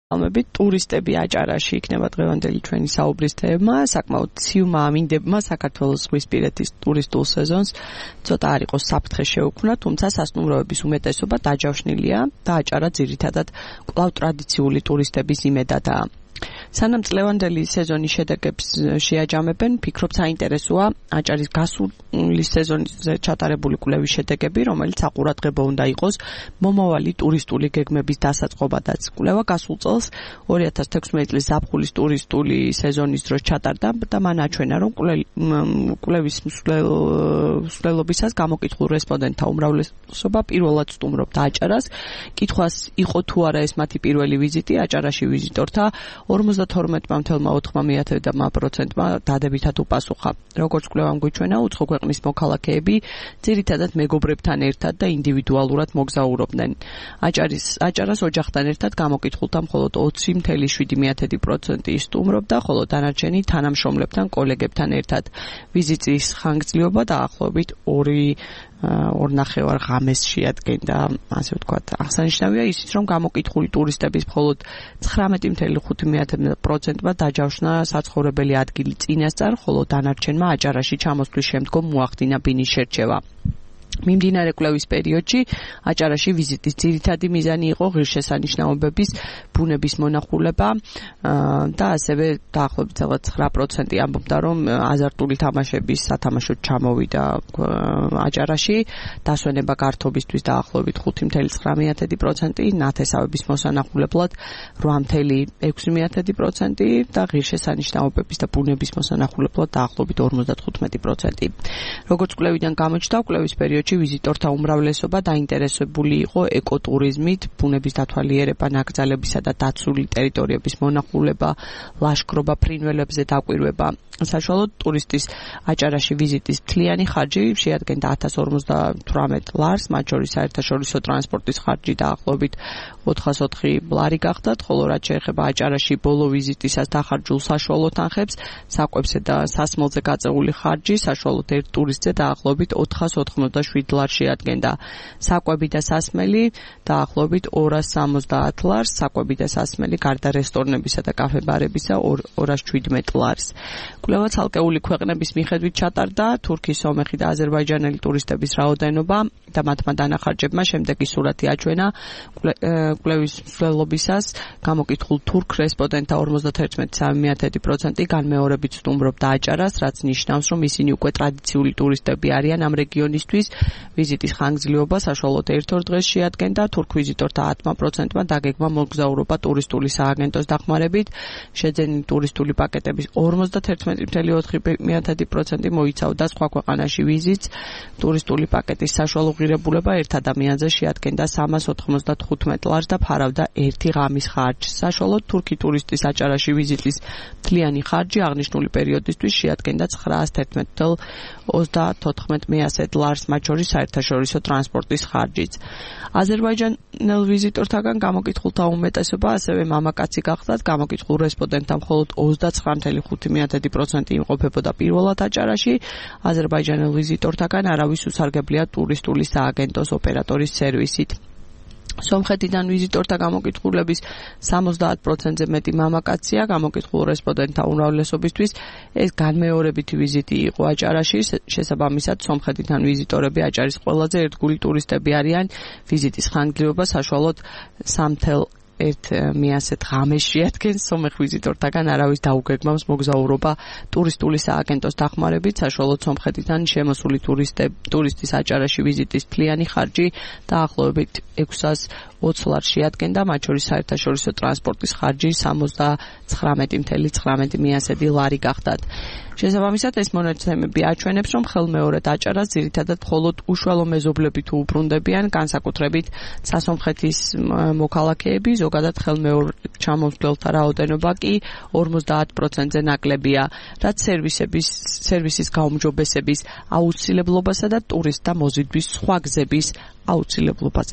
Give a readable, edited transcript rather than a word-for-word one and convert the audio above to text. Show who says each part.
Speaker 1: ტურისტები აჭარაში იქნება დღევანდელი ჩვენი საუბრის თემა. საკმაოდ ციუმა ამინდებმა საქართველოს ზღვისპირეთის ტურისტულ სეზონს ცოტა არ იყოს საფრთხე შეუქმნა, თუმცა სასტუმროების უმეტესობა დაჯავშნილია და აჭარა ძირითადად კვლავ ტრადიციული ტურისტების იმედადაა. სანამ წლევანდელი სეზონის შედეგებს შეაჯამებენ, ფიქრობ საინტერესოა აჭარის გასული სეზონზე ჩატარებული კვლევის შედეგები, რომელიც საყურადღებო უნდა იყოს მომავალი ტურისტული გეგმების დასაწყობადაც. კვლევა გასულ წელს 2016 წლის ზაფხულის ტურისტული სეზონის დროს ჩატარდა და მან აჩვენა, რომ კვლევის მსვლელობისას გამოკითხულ რესპონდენტთა უმრავლესობა პირველად სტუმრობდა აჭარას. კითხვას იყო თუ არა ეს მათი პირველი ვიზიტი აჭარაში ვიზიტორთა 52.4%-მა დადებითად უპასუხა. როგორც კვლევამ გვიჩვენა, უცხო ქვეყნის მოქალაქეები ძირითადად მეგობრებთან ერთად და ინდივიდუალურად მოგზაურობდნენ. აჭარას ოჯახთან ერთად გამოკითხულთა მხოლოდ 20.7% სტუმრობდა, ხოლო დანარჩენი თანამშრომლებთან, კოლეგებთან ერთად. ვიზიტის ხანგრძლივობა დაახლოებით 2.5 ღამეს შეადგენდა, ასე ვთქვათ. აღსანიშნავია ისიც, რომ გამოკითხული ტურისტების მხოლოდ 19.5%-მა დაჯავშნა საცხოვრებელი ადგილი წინასწარ, ხოლო დანარჩენმა აჭარაში ჩამოსვლის შემდგომ მოახდინა ბინის შერჩევა. მიმდინარე კვლევის პერიოდში აჭარაში ვიზიტის ძირითადი მიზანი იყო ღირსშესანიშნაობების ბუნების მონახულება და ასევე დაახლოებით 9% ამბობდა, რომ აზარტული თამაშების სათამაშოდ ჩამოვიდა აჭარაში, დასვენება გართობისთვის დაახლოებით 5.9%, ნათესავების მოსანახულებლად 8.6% და ღირსშესანიშნაობების და ბუნების მოსანახულებლად დაახლოებით 55%. როგორც კვლევიდან გამოჩნდა, კვლევის პერიოდში ვიზიტორთა უმრავლესობა დაინტერესებული იყო ეკოტურიზმით, ბუნების დათვალიერება, ნაკრძალებისა და დაცული ტერიტორიების მონახულება, ლაშქრობა, ფრინველებზე დაკვირვება. საშუალოდ ტურისტის აჭარაში ვიზიტის მთლიანი ხარჯი შეადგენდა 1058 ლარს, მათ შორის საერთაშორისო ტრანსპორტის ხარჯი დაახლოებით 404 ლარი გახდათ, ხოლო რაც შეეხება აჭარაში ბოლო ვიზიტისას დახარჯულ საშუალო თანხებს, საკვებზე და სასმელზე გაწეული ხარჯი საშუალოდ ერთ ტურისტზე დაახლოებით 487 ლარს შეადგენდა. საკვები და სასმელი დაახლოებით 270 ლარს, საკვები და სასმელი გარდა რესტორნებისა და კაფე-ბარებისა 217 ლარს. კვლევა ცალკეული ქვეყნების მიხედვით ჩატარდა, თურქის, სომეხი და აზერბაიჯანელი ტურისტების რაოდენობა და მათმა დანახარჯებმა შემდეგი სურათი აჩვენა. კვლევის მსვლელობისას გამოკითხულ თურქ რესპონდენტთა 51.3% განმეორებით სტუმრობდა აჭარას, რაც ნიშნავს, რომ ისინი უკვე ტრადიციული ტურისტები არიან ამ რეგიონისთვის. ვიზიტის ხანგრძლივობა საშუალოდ 1-2 დღეს შეადგენდა. თურქ ვიზიტორთა 10%-მა დაგეგმა მოგზაურობა ტურისტული სააგენტოს დახმარებით. შეძენილი ტურისტული პაკეტების 51.4% მოიცავდა სხვა ქვეყანაში ვიზიტს. ტურისტული პაკეტის საშუალო ღირებულება ერთ ადამიანზე შეადგენდა 395 ლარს და ფარავდა ერთი ღამის ხარჯს. საშუალოდ თურქი ტურისტის აჭარაში ვიზიტის მთლიანი ხარჯი აღნიშნული პერიოდისთვის შეადგენდა 911.34 ლარს, მათ შორის საერთაშორისო ტრანსპორტის ხარჯიც. აზერბაიჯანელ ვიზიტორთაგან გამოკითხულთა უმეტესობა ასევე მამაკაცი გახდათ. გამოკითხულ რესპონდენტთა მხოლოდ 29.5% იმყოფებოდა პირველად აჭარაში. აზერბაიჯანელ ვიზიტორთაგან არავის უსარგებლია ტურისტული სააგენტოს ოპერატორის სერვისით. სომხეთიდან ვიზიტორთა გამოკითხულების 70%-ზე მეტი მამაკაცია. გამოკითხულ რესპონდენტთა უმრავლესობისთვის ეს განმეორებითი ვიზიტი იყო აჭარაში. შესაბამისად, სომხეთიდან ვიზიტორები აჭარის ყველაზე ერთგული ტურისტები არიან. ვიზიტის ხანგრძლივობა საშუალოდ 3.1 ღამეს შეადგენს. სომეხ ვიზიტორთაგან არავის დაუგეგმავს მოგზაურობა ტურისტული სააგენტოს დახმარებით. საშუალოდ სომხეთიდან შემოსული ტურისტის აჭარაში ვიზიტის მთლიანი ხარჯი დაახლოებით 620 ლარს შეადგენდა, მათ შორის საერთაშორისო ტრანსპორტის ხარჯი 79.19 ლარი გახდათ. შესაბამისად, ეს მონაცემები აჩვენებს, რომ ხელმეორედ აჭარას ძირითადად მხოლოდ უშუალო მეზობლები თუ უბრუნდებიან, განსაკუთრებით სასომხეთის მოქალაქეები, ზოგადად ხელმეორედ ჩამოსვლელთა რაოდენობა კი 50%-ზე ნაკლებია, რაც სერვისის გაუმჯობესების აუცილებლობასა და ტურისტთა მოზიდვის სხვა გზების აუცილებლობაზე